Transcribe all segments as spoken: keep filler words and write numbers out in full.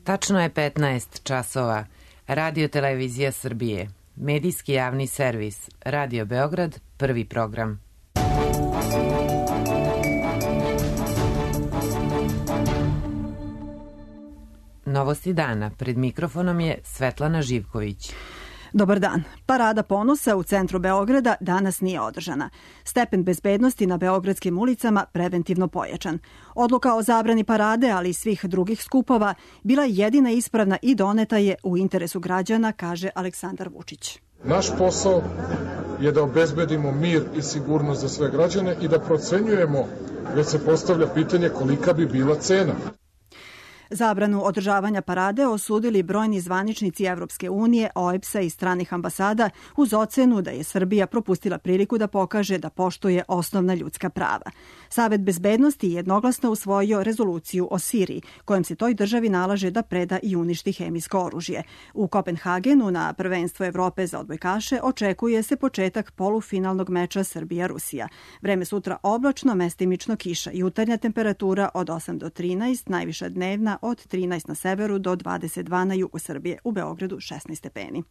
Tačno je petnaest časova. Radio Televizija Srbije. Medijski javni servis. Radio Beograd, prvi program. Novosti dana. Pred mikrofonom je Svetlana Živković. Dobar dan. Parada ponosa u centru Beograda danas nije održana. Stepen bezbednosti na beogradskim ulicama preventivno pojačan. Odluka o zabrani parade, ali i svih drugih skupova, bila je jedina ispravna i doneta je u interesu građana, kaže Aleksandar Vučić. Naš posao je da obezbedimo mir i sigurnost za sve građane i da procenjujemo, već se postavlja pitanje kolika bi bila cena. Zabranu održavanja parade osudili brojni zvaničnici Evropske unije, O E B S-a i stranih ambasada uz ocenu da je Srbija propustila priliku da pokaže da poštuje osnovna ljudska prava. Savet bezbednosti jednoglasno usvojio rezoluciju o Siriji, kojom se toj državi nalaže da preda i uništi hemijsko oružje. U Kopenhagenu na prvenstvo Evrope za odbojkaše očekuje se početak polufinalnog meča Srbija-Rusija. Vreme sutra oblačno, mestimično kiša, jutarnja temperatura od osam do trinaest, najviša dnevna od trinaest na severu do dvadeset dva na jugu Srbije, u Beogradu šesnaest stepeni.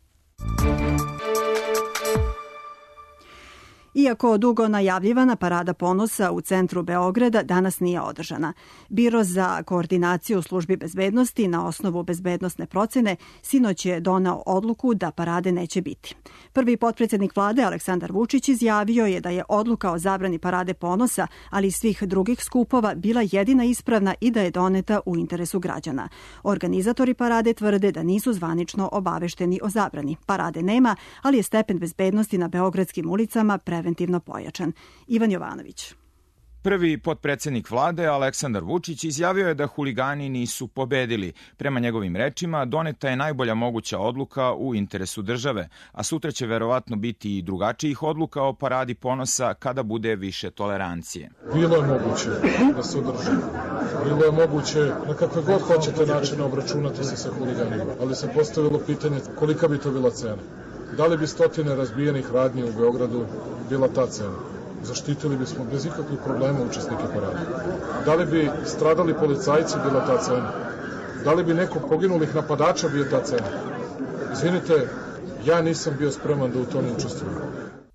Iako dugo najavljivana parada ponosa u centru Beograda danas nije održana. Biro za koordinaciju službi bezbednosti na osnovu bezbednosne procene sinoć je donao odluku da parade neće biti. Prvi potpredsjednik vlade Aleksandar Vučić izjavio je da je odluka o zabrani parade ponosa, ali i svih drugih skupova bila jedina ispravna i da je doneta u interesu građana. Organizatori parade tvrde da nisu zvanično obavešteni o zabrani. Parade nema, ali je stepen bezbednosti na beogradskim ulicama preventivno preventivno pojačan. Ivan Jovanović. Prvi potpredsjednik vlade Aleksandar Vučić izjavio je da huligani nisu pobedili. Prema njegovim rečima, doneta je najbolja moguća odluka u interesu države, a sutra će verovatno biti i drugačijih odluka o paradi ponosa kada bude više tolerancije. Bilo je moguće da se održi. Bilo je moguće na kakve god hoćete načine obračunati se sa huliganima, ali se postavilo pitanje kolika bi to bila cena. Da li bi stotine razbijenih radnji u Beogradu bila ta cena? Zaštitili bismo bez ikakvih problema učesnike parade. Da li bi stradali policajci bila ta cena? Da li bi neko poginulih napadača bio ta cena? Izvinite, ja nisam bio spreman da u tome učestvujem.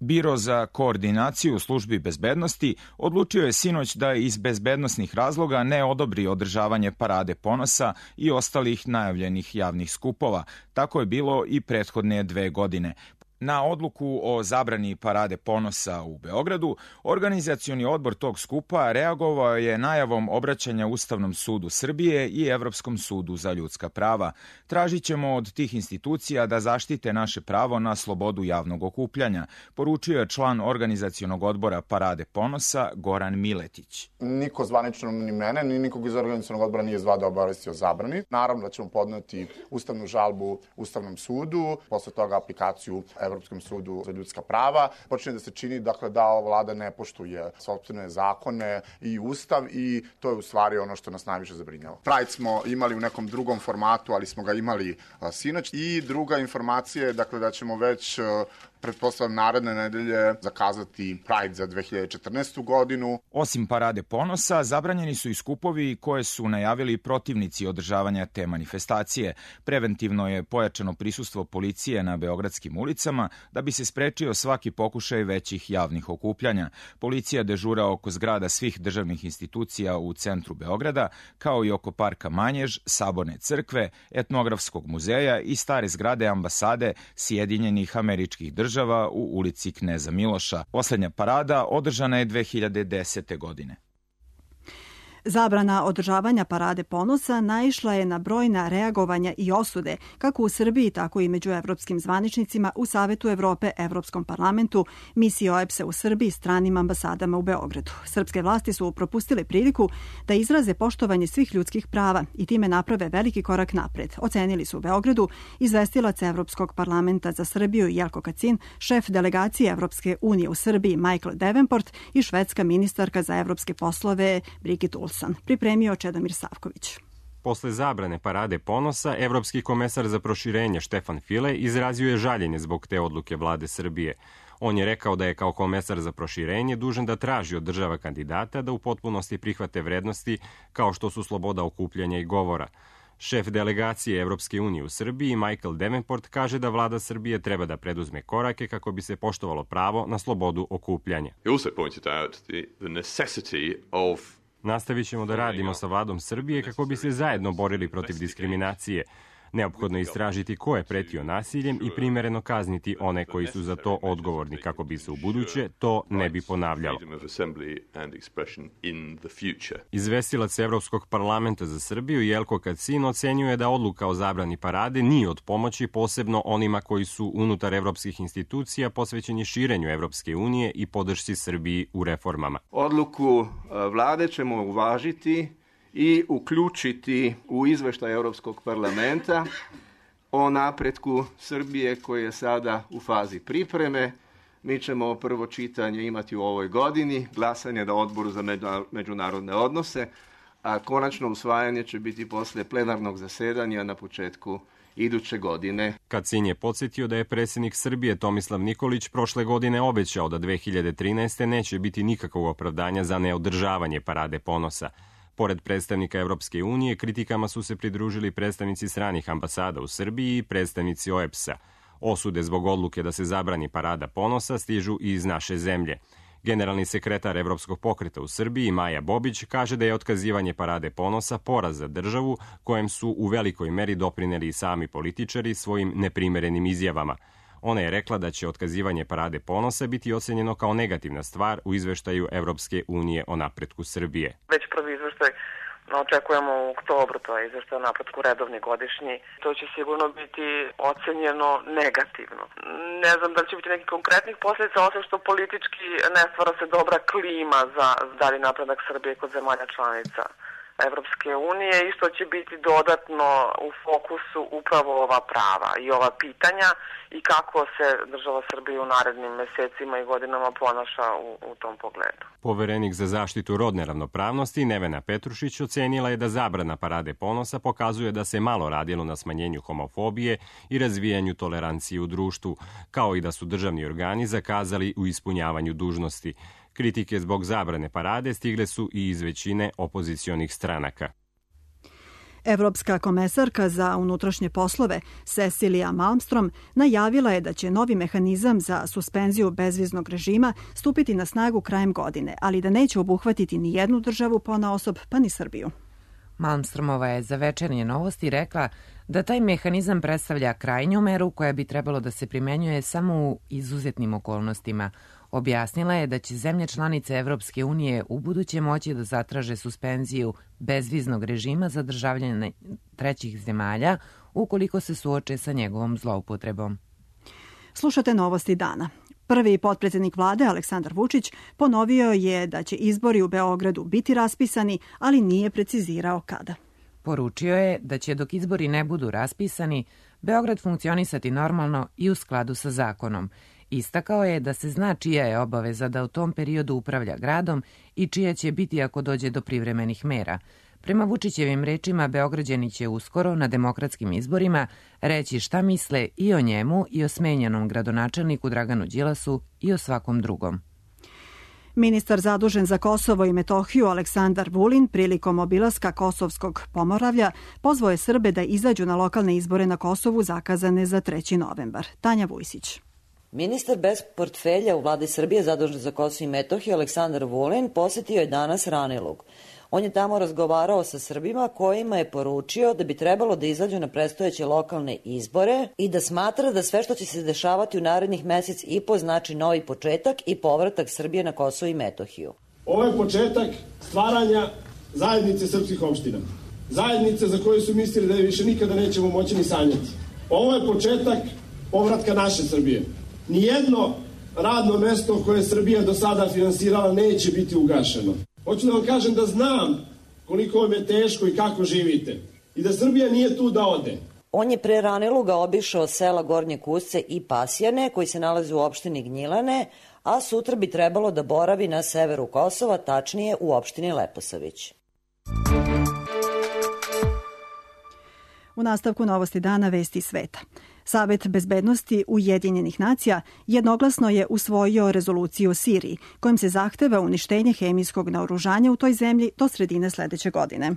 Biro za koordinaciju službi bezbednosti odlučio je sinoć da iz bezbednosnih razloga ne odobri održavanje parade ponosa i ostalih najavljenih javnih skupova. Tako je bilo i prethodne dve godine. Na odluku o zabrani parade ponosa u Beogradu, organizacioni odbor tog skupa reagovao je najavom obraćanja Ustavnom sudu Srbije i Evropskom sudu za ljudska prava. Tražit ćemo od tih institucija da zaštite naše pravo na slobodu javnog okupljanja, poručio je član organizacionog odbora parade ponosa Goran Miletić. Niko zvanično ni mene, ni nikog iz organizacionog odbora nije zvao da obavesti o zabrani. Naravno da ćemo podneti ustavnu žalbu Ustavnom sudu, posle toga aplikaciju Evropskom sudu za ljudska prava. Počinje da se čini dakle, da ova vlada ne poštuje sopstvene zakone i ustav i to je u stvari ono što nas najviše zabrinjava. Pride smo imali u nekom drugom formatu, ali smo ga imali a, sinoć. I druga informacija je dakle, da ćemo već a, pretpostavljam naredne nedelje zakazati Pride za dve hiljade četrnaestu godinu. Osim parade ponosa, zabranjeni su i skupovi koje su najavili protivnici održavanja te manifestacije. Preventivno je pojačano prisustvo policije na beogradskim ulicama da bi se sprečio svaki pokušaj većih javnih okupljanja. Policija dežura oko zgrada svih državnih institucija u centru Beograda, kao i oko parka Manjež, Saborne crkve, Etnografskog muzeja i stare zgrade ambasade Sjedinjenih Američkih Država u ulici Kneza Miloša. Poslednja parada održana je dve hiljade desete. godine. Zabrana održavanja parade ponosa naišla je na brojna reagovanja i osude, kako u Srbiji, tako i među evropskim zvaničnicima u Savetu Evrope, Evropskom parlamentu, misiji O E B S-a u Srbiji, stranim ambasadama u Beogradu. Srpske vlasti su propustile priliku da izraze poštovanje svih ljudskih prava i time naprave veliki korak napred. Ocenili su u Beogradu izvestilac Evropskog parlamenta za Srbiju Jelko Kacin, šef delegacije Evropske unije u Srbiji Michael Davenport i švedska ministarka za evropske poslove Brigitte Olsen. Pripremio Čedomir Savković. Posle zabrane parade ponosa, evropski komesar za proširenje Štefan File izrazio je žaljenje zbog te odluke vlade Srbije. On je rekao da je kao komesar za proširenje dužan da traži od država kandidata da u potpunosti prihvate vrednosti kao što su sloboda okupljanja i govora. Šef delegacije Evropske unije u Srbiji, Michael Davenport, kaže da vlada Srbije treba da preduzme korake kako bi se poštovalo pravo na slobodu okupljanja. Nastavit ćemo da radimo sa vladom Srbije kako bi se zajedno borili protiv diskriminacije. Neophodno je istražiti ko je pretio nasiljem i primereno kazniti one koji su za to odgovorni kako bi se u buduće to ne bi ponavljalo. Izvestilac Evropskog parlamenta za Srbiju Jelko Kacin ocenjuje da odluka o zabrani parade nije od pomoći, posebno onima koji su unutar evropskih institucija posvećeni širenju Evropske unije i podršci Srbiji u reformama. Odluku vlade ćemo uvažiti i uključiti u izveštaj Europskog parlamenta o napretku Srbije koji je sada u fazi pripreme. Mi ćemo prvo čitanje imati u ovoj godini, glasanje na odboru za međunarodne odnose, a konačno usvajanje će biti posle plenarnog zasedanja na početku iduće godine. Kacin je podsjetio da je predsjednik Srbije Tomislav Nikolić prošle godine obećao da dve hiljade trinaeste. neće biti nikakvog opravdanja za neodržavanje parade ponosa. Pored predstavnika Evropske unije, kritikama su se pridružili predstavnici stranih ambasada u Srbiji i predstavnici O E B S-a. Osude zbog odluke da se zabrani parada ponosa stižu i iz naše zemlje. Generalni sekretar Evropskog pokreta u Srbiji, Maja Bobić, kaže da je otkazivanje parade ponosa poraz za državu kojem su u velikoj meri doprineli i sami političari svojim neprimerenim izjavama. Ona je rekla da će otkazivanje parade ponosa biti ocenjeno kao negativna stvar u izveštaju Evropske unije o napretku Srbije. Već prvi izveštaj očekujemo u oktobru, to je izveštaj o napretku redovni godišnji. To će sigurno biti ocenjeno negativno. Ne znam da li će biti nekih konkretnih posljedica, osim što politički ne stvara se dobra klima za dalji napredak Srbije kod zemalja članica Evropske unije i što će biti dodatno u fokusu upravo ova prava i ova pitanja i kako se država Srbije u narednim mesecima i godinama ponaša u, u tom pogledu. Poverenik za zaštitu rodne ravnopravnosti Nevena Petrušić ocenila je da zabrana parade ponosa pokazuje da se malo radilo na smanjenju homofobije i razvijanju tolerancije u društvu, kao i da su državni organi zakazali u ispunjavanju dužnosti. Kritike zbog zabrane parade stigle su i iz većine opozicionih stranaka. Evropska komesarka za unutrašnje poslove Cecilia Malmström najavila je da će novi mehanizam za suspenziju bezviznog režima stupiti na snagu krajem godine, ali da neće obuhvatiti ni jednu državu ponaosob, pa ni Srbiju. Malmströmova je za Večernje novosti rekla da taj mehanizam predstavlja krajnju meru koja bi trebalo da se primenjuje samo u izuzetnim okolnostima. Objasnila je da će zemlje članice Evropske unije u buduće moći da zatraže suspenziju bezviznog režima za državljane trećih zemalja ukoliko se suoče sa njegovom zloupotrebom. Slušate novosti dana. Prvi potpredsjednik vlade Aleksandar Vučić ponovio je da će izbori u Beogradu biti raspisani, ali nije precizirao kada. Poručio je da će dok izbori ne budu raspisani, Beograd funkcionisati normalno i u skladu sa zakonom. Istakao je da se zna čija je obaveza da u tom periodu upravlja gradom i čija će biti ako dođe do privremenih mera. Prema Vučićevim rečima, Beograđani će uskoro na demokratskim izborima reći šta misle i o njemu i o smenjenom gradonačelniku Draganu Đilasu i o svakom drugom. Ministar zadužen za Kosovo i Metohiju Aleksandar Vulin prilikom obilaska Kosovskog Pomoravlja pozvao je Srbe da izađu na lokalne izbore na Kosovu zakazane za treći novembar. Tanja Vujsić. Ministar bez portfelja u vladi Srbije zadužen za Kosovo i Metohiju Aleksandar Vulin posetio je danas Ranilug. On je tamo razgovarao sa Srbima kojima je poručio da bi trebalo da izađu na predstojeće lokalne izbore i da smatra da sve što će se dešavati u narednih mesec i po znači novi početak i povratak Srbije na Kosovo i Metohiju. Ovo je početak stvaranja zajednice srpskih opština. Zajednice za koju su mislili da je više nikada nećemo moći ni sanjati. Ovo je početak povratka naše Srbije. Nijedno radno mesto koje je Srbija do sada finansirala neće biti ugašeno. Hoću da vam kažem da znam koliko vam je teško i kako živite i da Srbija nije tu da ode. On je pre Raniluga obišao sela Gornje Kusce i Pasjane koji se nalaze u opštini Gnjilane, a sutra bi trebalo da boravi na severu Kosova, tačnije u opštini Leposavić. U nastavku novosti dana vesti sveta. Savet bezbednosti Ujedinjenih nacija jednoglasno je usvojio rezoluciju o Siriji, kojim se zahteva uništenje hemijskog naoružanja u toj zemlji do sredine sledeće godine.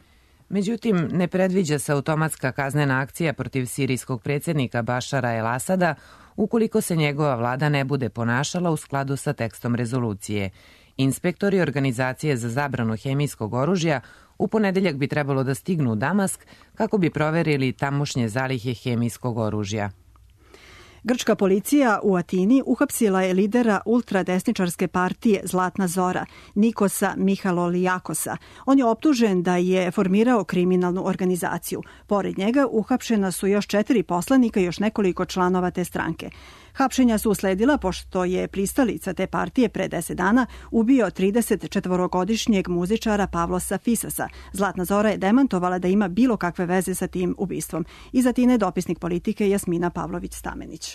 Međutim, ne predviđa se automatska kaznena akcija protiv sirijskog predsjednika Bašara el Asada ukoliko se njegova vlada ne bude ponašala u skladu sa tekstom rezolucije. Inspektori Organizacije za zabranu hemijskog oružja u ponedeljak bi trebalo da stignu u Damask kako bi proverili tamošnje zalihe hemijskog oružja. Grčka policija u Atini uhapsila je lidera ultradesničarske partije Zlatna Zora, Nikosa Mihalolijakosa. On je optužen da je formirao kriminalnu organizaciju. Pored njega uhapšena su još četiri poslanika i još nekoliko članova te stranke. Hapšenja su usledila pošto je pristalica te partije pre deset dana ubio tridesetčetvorogodišnjeg muzičara Pavlosa Fisasa. Zlatna Zora je demantovala da ima bilo kakve veze sa tim ubistvom. Iz Atine dopisnik politike Jasmina Pavlović-Stamenić.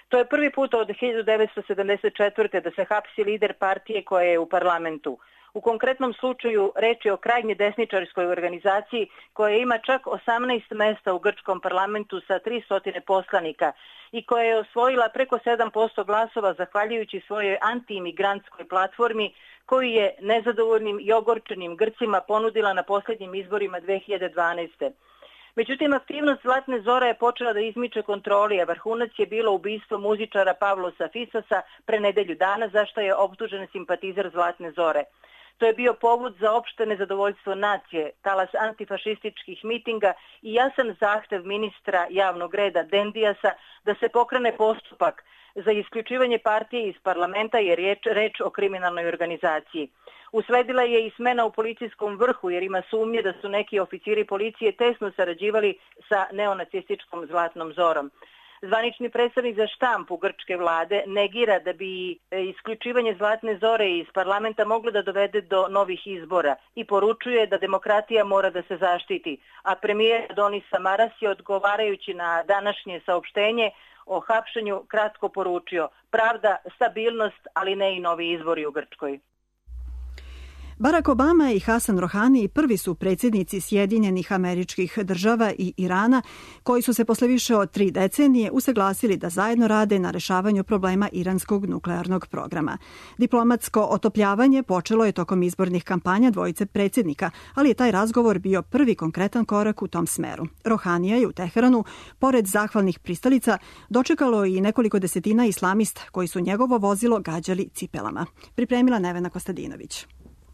To je prvi put od hiljadu devetsto sedamdeset četvrte da se hapsi lider partije koja je u parlamentu. U konkretnom slučaju reč je o krajnje desničarskoj organizaciji koja ima čak osamnaest mesta u grčkom parlamentu sa tristo poslanika i koja je osvojila preko sedam posto glasova zahvaljujući svojoj antiimigrantskoj platformi koju je nezadovoljnim i ogorčenim Grcima ponudila na posljednjim izborima dve hiljade dvanaeste. Međutim, aktivnost Zlatne Zore je počela da izmiče kontroli, a vrhunac je bilo ubistvo muzičara Pavlosa Fisasa pre nedelju dana, za što je optužen simpatizer Zlatne Zore. To je bio povod za opšte nezadovoljstvo nacije, talas antifašističkih mitinga i jasan zahtev ministra javnog reda Dendijasa da se pokrene postupak za isključivanje partije iz parlamenta jer je reč o kriminalnoj organizaciji. Usledila je i smena u policijskom vrhu jer ima sumnje da su neki oficiri policije tesno sarađivali sa neonacističkom Zlatnom Zorom. Zvanični predstavnik za štampu grčke vlade negira da bi isključivanje Zlatne Zore iz parlamenta moglo da dovede do novih izbora i poručuje da demokratija mora da se zaštiti. A premijer Adonis Samaras je odgovarajući na današnje saopštenje o hapšenju kratko poručio: pravda, stabilnost, ali ne i novi izbori u Grčkoj. Barack Obama i Hasan Rohani prvi su predsjednici Sjedinjenih Američkih Država i Irana koji su se posle više od tri decenije usaglasili da zajedno rade na rešavanju problema iranskog nuklearnog programa. Diplomatsko otopljavanje počelo je tokom izbornih kampanja dvojice predsjednika, ali je taj razgovor bio prvi konkretan korak u tom smeru. Rohanija je u Teheranu, pored zahvalnih pristalica, dočekalo i nekoliko desetina islamista koji su njegovo vozilo gađali cipelama. Pripremila Nevena Kostadinović.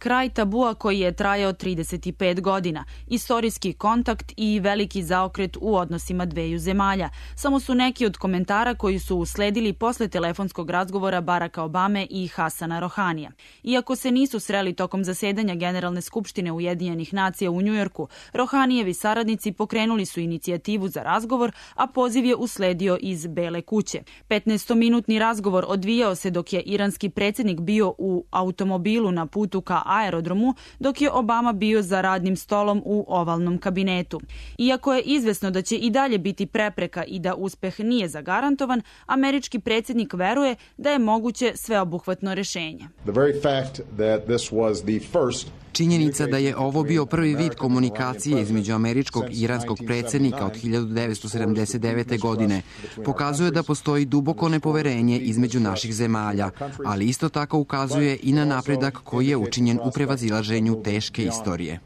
Kraj tabua koji je trajao trideset pet godina, istorijski kontakt i veliki zaokret u odnosima dveju zemalja. Samo su neki od komentara koji su usledili posle telefonskog razgovora Baracka Obame i Hasana Rohanija. Iako se nisu sreli tokom zasedanja Generalne skupštine Ujedinjenih nacija u Njujorku, Rohanijevi saradnici pokrenuli su inicijativu za razgovor, a poziv je usledio iz Bele kuće. petnaestominutni razgovor odvijao se dok je iranski predsjednik bio u automobilu na putu ka aerodromu, dok je Obama bio za radnim stolom u ovalnom kabinetu. Iako je izvesno da će i dalje biti prepreka i da uspeh nije zagarantovan, američki predsjednik veruje da je moguće sveobuhvatno rešenje. Činjenica da je ovo bio prvi vid komunikacije između američkog i iranskog predsjednika od hiljadu devetsto sedamdeset devete. godine pokazuje da postoji duboko nepoverenje između naših zemalja, ali isto tako ukazuje i na napredak koji je učinjen u prevazilaženju teške istorije.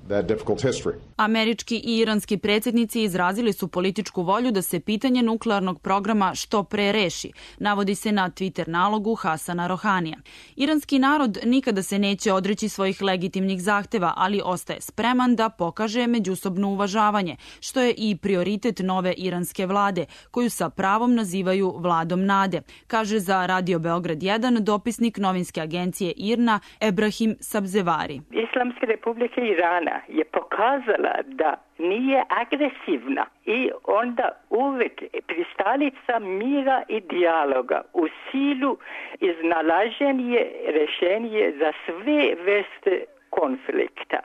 Američki i iranski predsjednici izrazili su političku volju da se pitanje nuklearnog programa što pre reši, navodi se na Twitter nalogu Hasana Rohanija. Iranski narod nikada se neće odreći svojih legitimnih zahteva, ali ostaje spreman da pokaže međusobno uvažavanje, što je i prioritet nove iranske vlade, koju sa pravom nazivaju vladom nade, kaže za Radio Beograd jedan dopisnik novinske agencije I R N A Ebrahim Sabzevari. Islamska republika Irana je pokazala da nije agresivna i onda uvek pristalica mira i dijaloga u silu iznalaženje rešenje za sve vrste konflikta.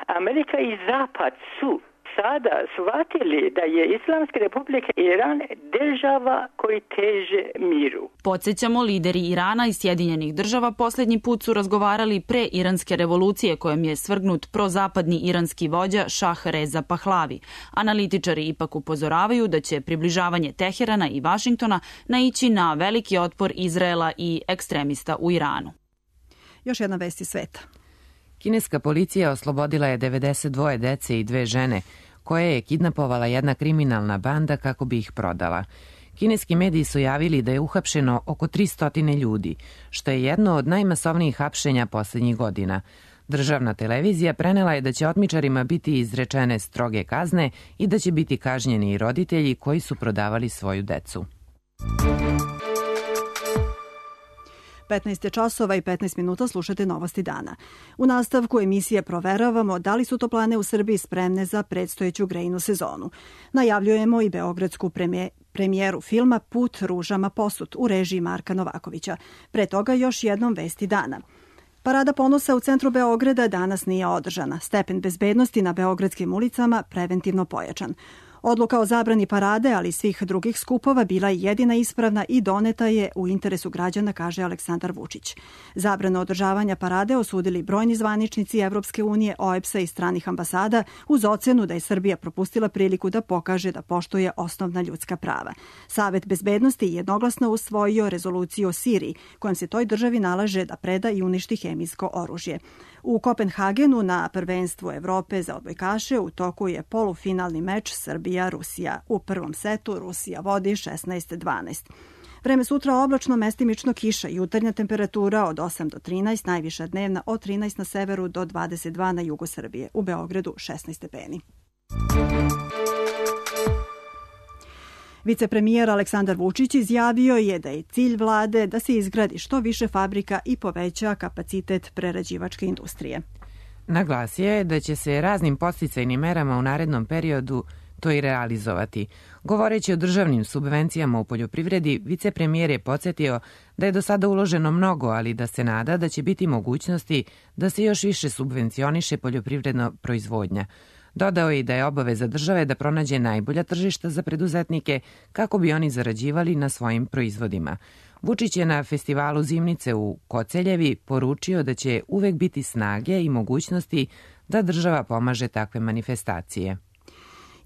Amerika i Zapad su sada shvatili da je Islamska republika Iran država koji teže miru. Podsjećamo, lideri Irana i Sjedinjenih država posljednji put su razgovarali pre iranske revolucije kojom je svrgnut prozapadni iranski vođa Šah Reza Pahlavi. Analitičari ipak upozoravaju da će približavanje Teherana i Vašingtona naići na veliki otpor Izraela i ekstremista u Iranu. Još jedna vest iz sveta. Kineska policija oslobodila je devedeset dvoje dece i dve žene, koje je kidnapovala jedna kriminalna banda kako bi ih prodala. Kineski mediji su javili da je uhapšeno oko tristo ljudi, što je jedno od najmasovnijih hapšenja poslednjih godina. Državna televizija prenela je da će otmičarima biti izrečene stroge kazne i da će biti kažnjeni i roditelji koji su prodavali svoju decu. petnaest časova i petnaest minuta slušate Novosti dana. U nastavku emisije proveravamo da li su toplane u Srbiji spremne za predstojeću grejnu sezonu. Najavljujemo i beogradsku premijeru premijeru filma Put ružama posut u režiji Marka Novakovića. Pre toga još jednom vesti dana. Parada ponosa u centru Beograda danas nije održana. Stepen bezbednosti na beogradskim ulicama preventivno pojačan. Odluka o zabrani parade, ali i svih drugih skupova, bila je jedina ispravna i doneta je u interesu građana, kaže Aleksandar Vučić. Zabranu održavanja parade osudili brojni zvaničnici Evropske unije, O E B S-a i stranih ambasada uz ocenu da je Srbija propustila priliku da pokaže da poštuje osnovna ljudska prava. Savet bezbednosti je jednoglasno usvojio rezoluciju o Siriji, kojom se toj državi nalaže da preda i uništi hemijsko oružje. U Kopenhagenu na prvenstvu Evrope za odbojkaše u toku je polufinalni meč Srbija-Rusija. U prvom setu Rusija vodi šesnaest dvanaest. Vreme sutra oblačno, mestimično kiša, jutarnja temperatura od osam do trinaest, najviša dnevna od trinaest na severu do dvadeset dva na jugu Srbije. U Beogradu šesnaest stepeni. Vicepremijer Aleksandar Vučić izjavio je da je cilj vlade da se izgradi što više fabrika i poveća kapacitet prerađivačke industrije. Naglasio je da će se raznim podsticajnim merama u narednom periodu to i realizovati. Govoreći o državnim subvencijama u poljoprivredi, vicepremijer je podsjetio da je do sada uloženo mnogo, ali da se nada da će biti mogućnosti da se još više subvencioniše poljoprivredna proizvodnja. Dodao je i da je obaveza države da pronađe najbolja tržišta za preduzetnike kako bi oni zarađivali na svojim proizvodima. Vučić je na festivalu Zimnice u Koceljevi poručio da će uvek biti snage i mogućnosti da država pomaže takve manifestacije.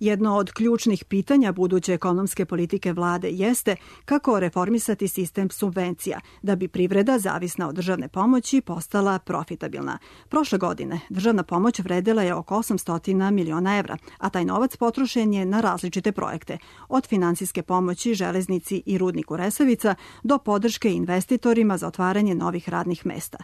Jedno od ključnih pitanja buduće ekonomske politike vlade jeste kako reformisati sistem subvencija da bi privreda zavisna od državne pomoći postala profitabilna. Prošle godine državna pomoć vredela je oko osamsto miliona evra, a taj novac potrošen je na različite projekte, od finansijske pomoći železnici i rudniku Resavica do podrške investitorima za otvaranje novih radnih mesta.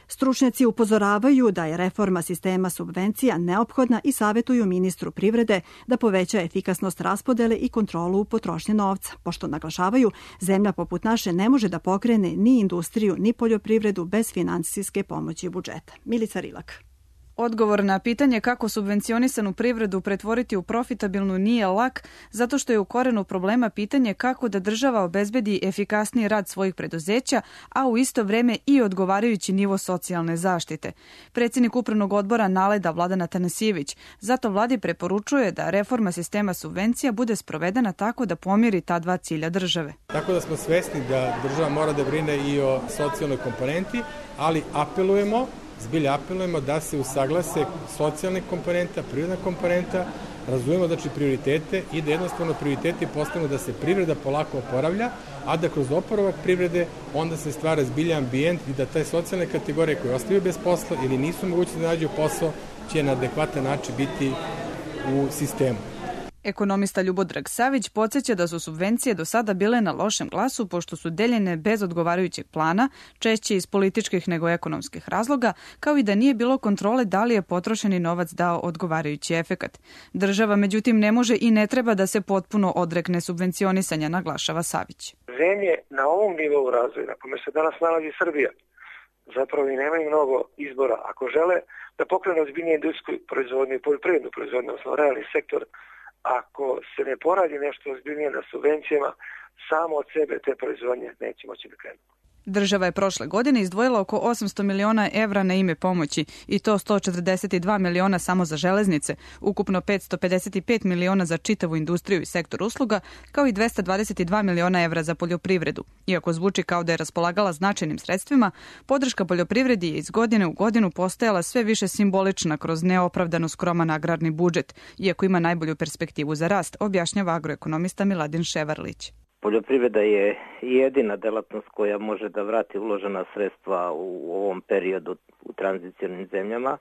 Stručnjaci upozoravaju da je reforma sistema subvencija neophodna i savjetuju ministru privrede da poveća efikasnost raspodele i kontrolu potrošnje novca, pošto naglašavaju zemlja poput naše ne može da pokrene ni industriju ni poljoprivredu bez finansijske pomoći budžeta. Milica Rilak. Odgovor na pitanje kako subvencionisanu privredu pretvoriti u profitabilnu nije lak, zato što je u korenu problema pitanje kako da država obezbedi efikasniji rad svojih preduzeća, a u isto vreme i odgovarajući nivo socijalne zaštite. Predsjednik upravnog odbora Naleda Vladan Atanasijević zato vladi preporučuje da reforma sistema subvencija bude sprovedena tako da pomiri ta dva cilja države. Tako da smo svesni da država mora da brine i o socijalnoj komponenti, ali apelujemo Zbilja apelujemo da se usaglase socijalne komponenta, prirodna komponenta, razumemo znači prioritete i da jednostavno prioriteti postanu da se privreda polako oporavlja, a da kroz oporavak privrede onda se stvara zbilja ambijent i da te socijalne kategorije koje ostaju bez posla ili nisu mogući da nađu posao će na adekvatan način biti u sistemu. Ekonomista Ljubodrag Savić podsjeća da su subvencije do sada bile na lošem glasu pošto su deljene bez odgovarajućeg plana, češće iz političkih nego ekonomskih razloga, kao i da nije bilo kontrole da li je potrošeni novac dao odgovarajući efekat. Država, međutim, ne može i ne treba da se potpuno odrekne subvencionisanja, naglašava Savić. Zemlje na ovom nivou razvoja, na kome se danas nalazi Srbija, zapravo i nemaju mnogo izbora. Ako žele da pokrenu ozbiljnije industrijsku proizvodnju i poljoprivrednu proizvodnju, odnosno realni sektor, ako se ne poradi nešto ozbiljnije na subvencijama, samo od sebe te proizvodnje neće moći da krenu. Država je prošle godine izdvojila oko osamsto miliona evra na ime pomoći i to sto četrdeset dva miliona samo za železnice, ukupno petsto pedeset pet miliona za čitavu industriju i sektor usluga, kao i dvesta dvadeset dva miliona evra za poljoprivredu. Iako zvuči kao da je raspolagala značajnim sredstvima, podrška poljoprivredi je iz godine u godinu postajala sve više simbolična kroz neopravdano skroman agrarni budžet, iako ima najbolju perspektivu za rast, objašnjava agroekonomista Miladin Ševarlić. Poljoprivreda je jedina delatnost koja može da vrati uložena sredstva u ovom periodu u tranzicionim zemljama.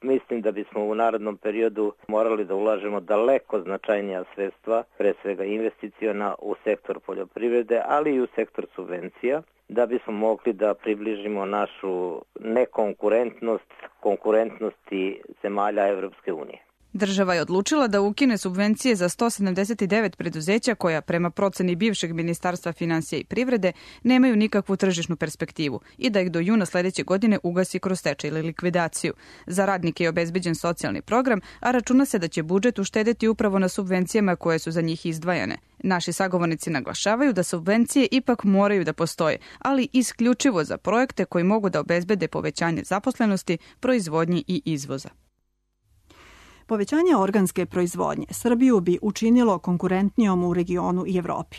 Mislim da bismo u narednom periodu morali da ulažemo daleko značajnija sredstva, pre svega investiciona u sektor poljoprivrede, ali i u sektor subvencija, da bismo mogli da približimo našu nekonkurentnost konkurentnosti zemalja Evropske unije. Država je odlučila da ukine subvencije za sto sedamdeset devet preduzeća koja, prema proceni bivšeg Ministarstva finansija i privrede, nemaju nikakvu tržišnu perspektivu i da ih do juna sledeće godine ugasi kroz stečaj ili likvidaciju. Za radnike je obezbeđen socijalni program, a računa se da će budžet uštedeti upravo na subvencijama koje su za njih izdvajane. Naši sagovornici naglašavaju da subvencije ipak moraju da postoje, ali isključivo za projekte koji mogu da obezbede povećanje zaposlenosti, proizvodnje i izvoza. Povećanje organske proizvodnje Srbiju bi učinilo konkurentnijom u regionu i Evropi.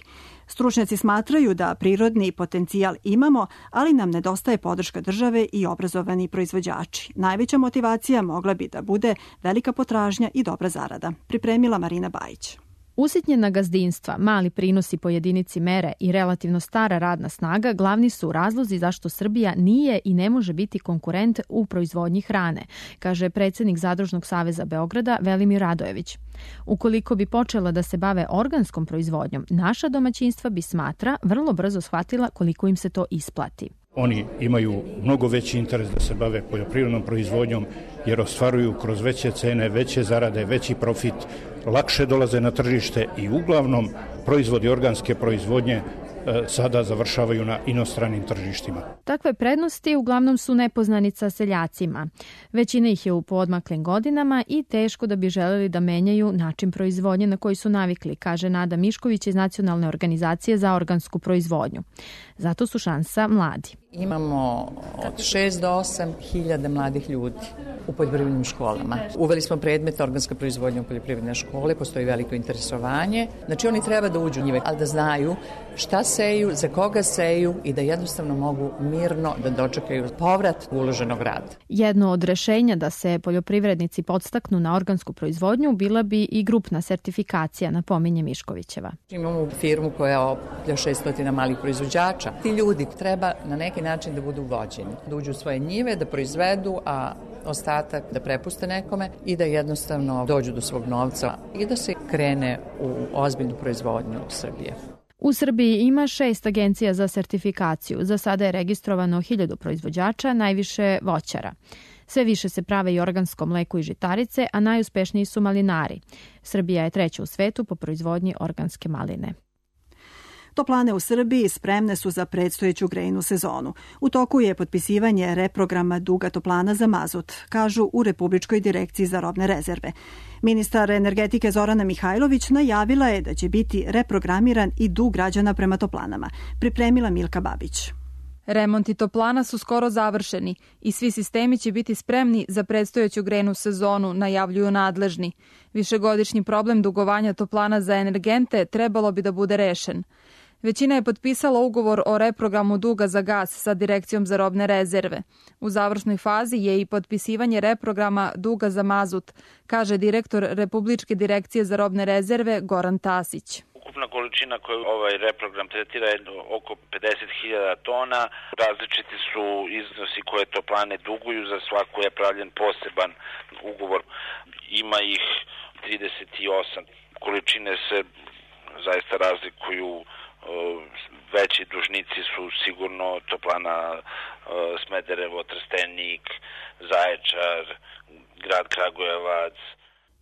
Stručnjaci smatraju da prirodni potencijal imamo, ali nam nedostaje podrška države i obrazovani proizvođači. Najveća motivacija mogla bi da bude velika potražnja i dobra zarada. Pripremila Marina Bajić. Usitnjena gazdinstva, mali prinosi po jedinici mere i relativno stara radna snaga glavni su razlozi zašto Srbija nije i ne može biti konkurent u proizvodnji hrane, kaže predsjednik Zadružnog saveza Beograda Velimir Radojević. Ukoliko bi počela da se bave organskom proizvodnjom, naša domaćinstva bi, smatra, vrlo brzo shvatila koliko im se to isplati. Oni imaju mnogo veći interes da se bave poljoprivrednom proizvodnjom jer ostvaruju kroz veće cene, veće zarade, veći profit, lakše dolaze na tržište i uglavnom proizvodi organske proizvodnje sada završavaju na inostranim tržištima. Takve prednosti uglavnom su nepoznanica seljacima. Većina ih je u poodmaklim godinama i teško da bi želeli da menjaju način proizvodnje na koji su navikli, kaže Nada Mišković iz Nacionalne organizacije za organsku proizvodnju. Zato su šansa mladi. Imamo od šest do osam hiljada mladih ljudi u poljoprivrednim školama. Uveli smo predmet organska proizvodnja u poljoprivredne škole, postoji veliko interesovanje. Znači oni treba da uđu u njive, ali da znaju šta seju, za koga seju i da jednostavno mogu mirno da dočekaju povrat uloženog rada. Jedno od rešenja da se poljoprivrednici podstaknu na organsku proizvodnju bila bi i grupna sertifikacija, napominje Miškovićeva. Imamo firmu koja okuplja šesnaest malih proizvođača. Ti ljudi treba na neki način da budu vođeni, da uđu u svoje njive, da proizvedu, a ostatak da prepuste nekome i da jednostavno dođu do svog novca i da se krene u ozbiljnu proizvodnju Srbije. U Srbiji ima šest agencija za sertifikaciju. Za sada je registrovano hiljadu proizvođača, najviše voćara. Sve više se prave i organsko mleko i žitarice, a najuspešniji su malinari. Srbija je treća u svetu po proizvodnji organske maline. Toplane u Srbiji spremne su za predstojeću grejnu sezonu. U toku je potpisivanje reprograma duga toplana za mazut, kažu u Republičkoj direkciji za robne rezerve. Ministar energetike Zorana Mihajlović najavila je da će biti reprogramiran i dug građana prema toplanama. Pripremila Milka Babić. Remonti toplana su skoro završeni i svi sistemi će biti spremni za predstojeću grejnu sezonu, najavljuju nadležni. Višegodišnji problem dugovanja toplana za energente trebalo bi da bude rešen. Većina je potpisala ugovor o reprogramu duga za gas sa Direkcijom za robne rezerve. U završnoj fazi je i potpisivanje reprograma duga za mazut, kaže direktor Republičke direkcije za robne rezerve Goran Tasić. Ukupna količina koju ovaj reprogram tretira je oko pedeset hiljada tona. Različiti su iznosi koje toplane duguju, za svaku je pravljen poseban ugovor. Ima ih trideset osam. Količine se zaista razlikuju. Veći dužnici su sigurno toplana Smederevo, Trstenik, Zaječar, grad Kragujevac.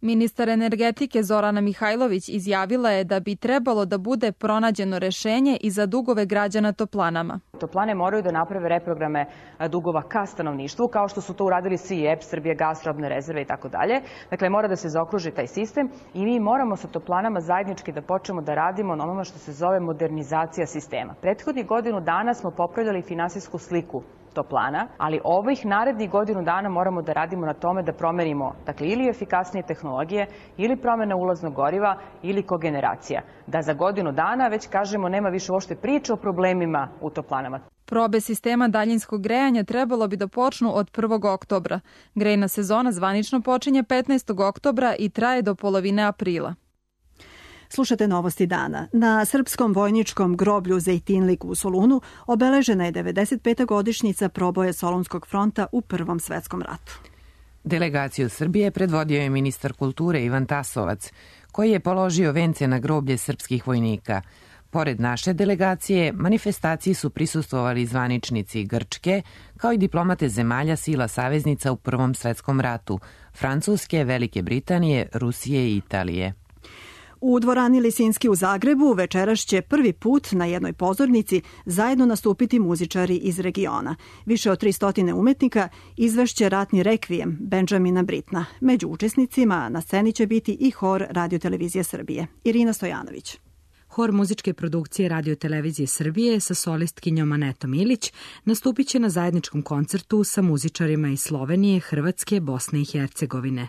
Ministar energetike Zorana Mihajlović izjavila je da bi trebalo da bude pronađeno rešenje i za dugove građana toplanama. Toplane moraju da naprave reprograme dugova ka stanovništvu, kao što su to uradili svi E P, Srbija gas, robne rezerve i tako dalje. Dakle, mora da se zaokruži taj sistem i mi moramo sa toplanama zajednički da počnemo da radimo na onome što se zove modernizacija sistema. Prethodnih godinu dana smo popravljali finansijsku sliku toplana, ali ovih narednih godinu dana moramo da radimo na tome da promenimo, dakle, ili efikasnije tehnologije, ili promena ulaznog goriva, ili kogeneracija. Da za godinu dana već kažemo nema više uopšte priče o problemima u toplanama. Probe sistema daljinskog grejanja trebalo bi da počnu od prvog oktobra. Grejna sezona zvanično počinje petnaestog oktobra i traje do polovine aprila. Slušate novosti dana. Na srpskom vojničkom groblju Zejtinlik u Solunu obeležena je devedeset peta godišnjica proboja Solunskog fronta u Prvom svetskom ratu. Delegaciju Srbije predvodio je ministar kulture Ivan Tasovac, koji je položio vence na groblje srpskih vojnika. Pored naše delegacije, manifestaciji su prisustvovali zvaničnici Grčke, kao i diplomate zemalja sila saveznica u Prvom svetskom ratu, Francuske, Velike Britanije, Rusije i Italije. U dvorani Lisinski u Zagrebu večeras će prvi put na jednoj pozornici zajedno nastupiti muzičari iz regiona. Više od tristo umetnika izvešće ratni rekvijem Benjamina Britna. Među učesnicima na sceni će biti i hor Radio-televizije Srbije. Irina Stojanović. Hor muzičke produkcije Radio-televizije Srbije sa solistkinjom Anetom Ilić nastupit će na zajedničkom koncertu sa muzičarima iz Slovenije, Hrvatske, Bosne i Hercegovine.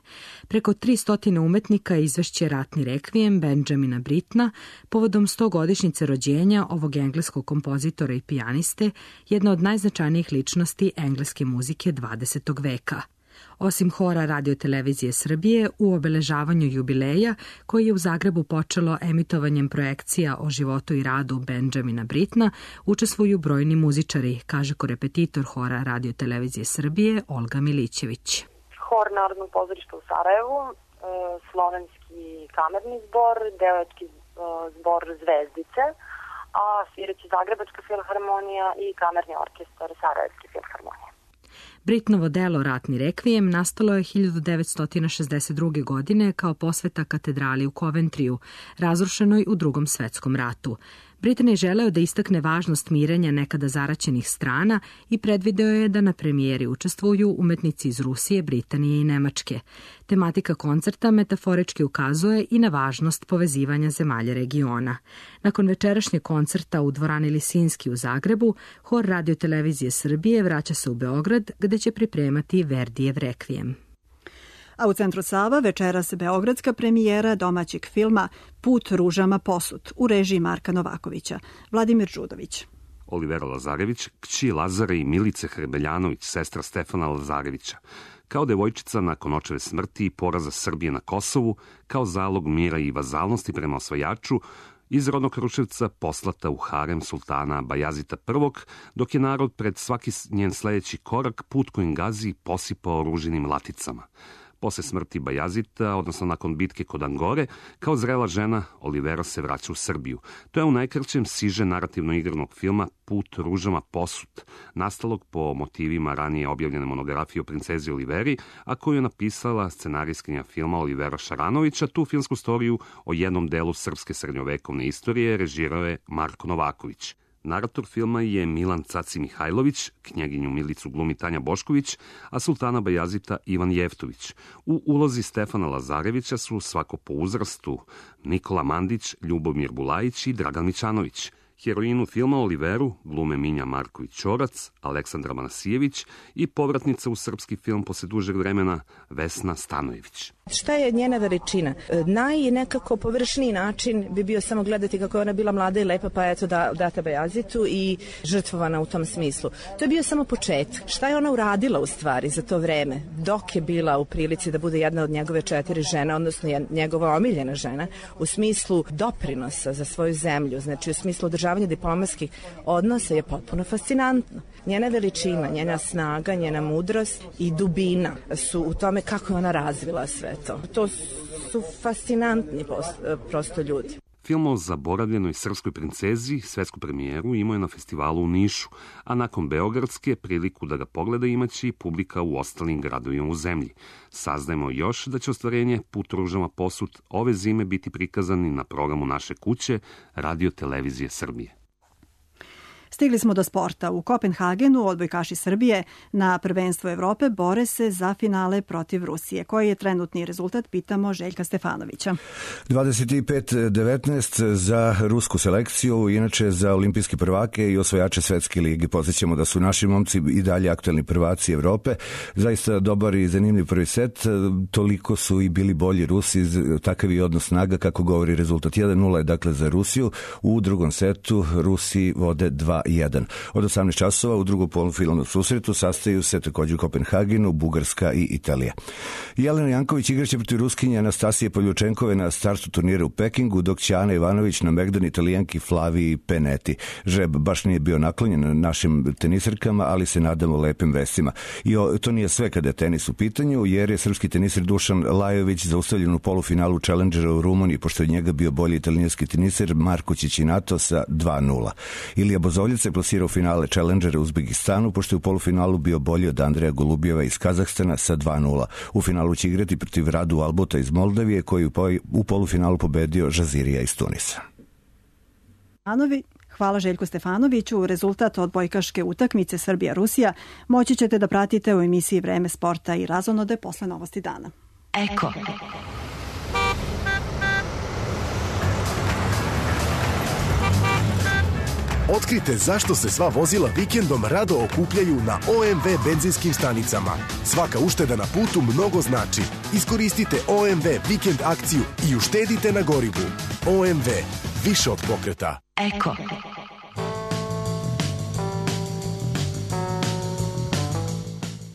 Preko tristo umetnika izvešće ratni rekvijem Benjamina Britna povodom stogodišnjice rođenja ovog engleskog kompozitora i pijaniste, jedna od najznačajnijih ličnosti engleske muzike dvadesetog veka. Osim hora Radio-televizije Srbije, u obeležavanju jubileja, koji je u Zagrebu počelo emitovanjem projekcija o životu i radu Benjamina Britna, učestvuju brojni muzičari, kaže korepetitor hora Radio-televizije Srbije Olga Milićević. Hor Narodnog pozorišta u Sarajevu, slovenski kamerni zbor, devojački zbor Zvezdice, a sviraće Zagrebačka filharmonija i kamerni orkestar Sarajevske filharmonije. Britnovo delo Ratni rekvijem nastalo je hiljadu devetsto šezdeset druge. godine kao posveta katedrali u Coventriju, razrušenoj u Drugom svetskom ratu. Britan je želeo da istakne važnost mirenja nekada zaraćenih strana i predvideo je da na premijeri učestvuju umetnici iz Rusije, Britanije i Nemačke. Tematika koncerta metaforički ukazuje i na važnost povezivanja zemalja regiona. Nakon večerašnjeg koncerta u dvorani Lisinski u Zagrebu, hor Radio-televizije Srbije vraća se u Beograd, gde će pripremati Verdijev rekvijem. A u centru Sava večeras beogradska premijera domaćeg filma Put ružama posut u režiji Marka Novakovića. Vladimir Đudović. Olivera Lazarević, kći Lazare i Milice Hrebeljanović, sestra Stefana Lazarevića. Kao devojčica nakon očeve smrti i poraza Srbije na Kosovu, kao zalog mira i vazalnosti prema osvajaču, iz rodnog Kruševca poslata u harem sultana Bajazita prvog, dok je narod pred svaki njen sledeći korak put kojim gazi posipao ružinim laticama. Posle smrti Bajazita, odnosno nakon bitke kod Angore, kao zrela žena, Olivera se vraća u Srbiju. To je u najkraćem siže narativno-igranog filma Put ružama posut, nastalog po motivima ranije objavljene monografije o princezi Oliveri, a koju je napisala scenarijskinja filma Olivera Šaranovića. Tu filmsku storiju o jednom delu srpske srednjovekovne istorije režirao je Marko Novaković. Narator filma je Milan Caci Mihajlović, knjeginju Milicu glumi Tanja Bošković, a sultana Bajazita Ivan Jeftović. U ulozi Stefana Lazarevića su svako po uzrastu Nikola Mandić, Ljubomir Bulajić i Dragan Mićanović. Heroinu filma Oliveru glume Minja Marković-Ćorac, Aleksandra Manasijević i povratnica u srpski film posle dužeg vremena Vesna Stanojević. Šta je njena veličina? Naj nekako površniji način bi bio samo gledati kako je ona bila mlada i lepa, pa eto da, data Bajazitu i žrtvovana u tom smislu. To je bio samo početak. Šta je ona uradila u stvari za to vreme? Dok je bila u prilici da bude jedna od njegove četiri žene, odnosno njegova omiljena žena, u smislu doprinosa za svoju zemlju, znači u smislu održavanja diplomatskih odnosa je potpuno fascinantno. Njena veličina, njena snaga, njena mudrost i dubina su u tome kako je ona razvila sve to. To su fascinantni prosto ljudi. Film o zaboravljenoj srpskoj princezi svetsku premijeru imao je na festivalu u Nišu, a nakon beogradske priliku da ga pogleda imaće i publika u ostalim gradovima u zemlji. Saznajemo još da će ostvarenje Put ružama posut ove zime biti prikazani na programu naše kuće Radio-televizije Srbije. Stigli smo do sporta. U Kopenhagenu odbojkaši Srbije na prvenstvu Evrope bore se za finale protiv Rusije. Koji je trenutni rezultat? Pitamo Željka Stefanovića. dvadeset pet devetnaest za rusku selekciju, inače za olimpijske prvake i osvajače svetske lige. Podsjećamo da su naši momci i dalje aktualni prvaci Evrope. Zaista dobar i zanimljiv prvi set. Toliko su i bili bolji Rusi, takav je odnos snaga kako govori rezultat. jedan nula je dakle za Rusiju. U drugom setu Rusi vode dva dva jedan. Od osamnaest časova u drugom polufinalnom susretu sastaju se također u Kopenhagenu, Bugarska i Italija. Jelena Janković igraće protiv Ruskinje Anastasije Poljučenkove na startu turnira u Pekingu, dok će Ana Ivanović na Megdan Italijanki Flaviji Peneti. Žreb baš nije bio naklonjen našim tenisarkama, ali se nadamo lepim vestima. I o, to nije sve kada je tenis u pitanju, jer je srpski tenisar Dušan Lajović zaustavljen u polufinalu Challengera u Rumuniji, pošto je njega bio bolji italijanski tenisar Marko Ćićinato sa dva nula. Ilija Bozoljica je plasirao finale Challengera u Uzbekistanu, pošto je u polufinalu bio bolji od Andreja Golubjeva iz Kazahstana sa dva nula. U finalu će igrati protiv Radu Albuta iz Moldavije, koji u polufinalu pobedio Žazirija iz Tunisa. Anovi, hvala Željku Stefanoviću. Rezultat odbojkaške utakmice Srbija-Rusija moći ćete da pratite u emisiji Vreme sporta i razonode posle novosti dana. Eko. Otkrite zašto se sva vozila vikendom rado okupljaju na O M V benzinskim stanicama. Svaka ušteda na putu mnogo znači. Iskoristite O M V vikend akciju i uštedite na gorivu. O M V. Više od pokreta. Eko.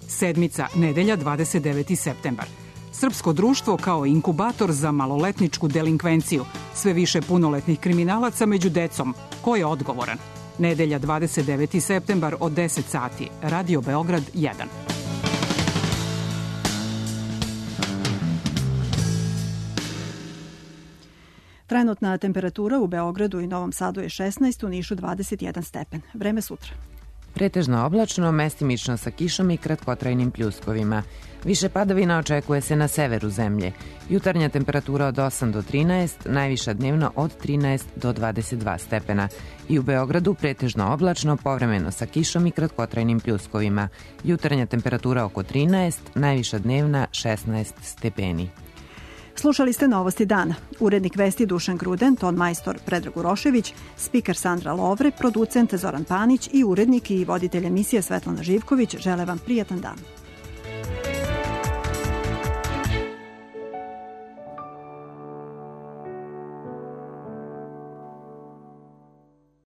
Sedmica, nedelja, dvadeset deveti septembar. Srpsko društvo kao inkubator za maloletničku delinkvenciju. Sve više punoletnih kriminalaca među decom. Ko je odgovoran? Nedelja, dvadeset deveti septembar od deset sati. Radio Beograd jedan. Trenutna temperatura u Beogradu i Novom Sadu je šesnaest, u Nišu dvadeset jedan stepen. Vreme sutra. Pretežno oblačno, mestimično sa kišom i kratkotrajnim pljuskovima. Više padavina očekuje se na severu zemlje. Jutarnja temperatura od osam do trinaest, najviša dnevno od trinaest do dvadeset dva stepena. I u Beogradu pretežno oblačno, povremeno sa kišom i kratkotrajnim pljuskovima. Jutarnja temperatura oko trinaest, najviša dnevna šesnaest stepeni. Slušali ste novosti dana. Urednik vesti Dušan Gruden, ton majstor Predrag Urošević, spiker Sandra Lovre, producent Zoran Panić i urednik i voditelj emisije Svetlana Živković žele vam prijatan dan.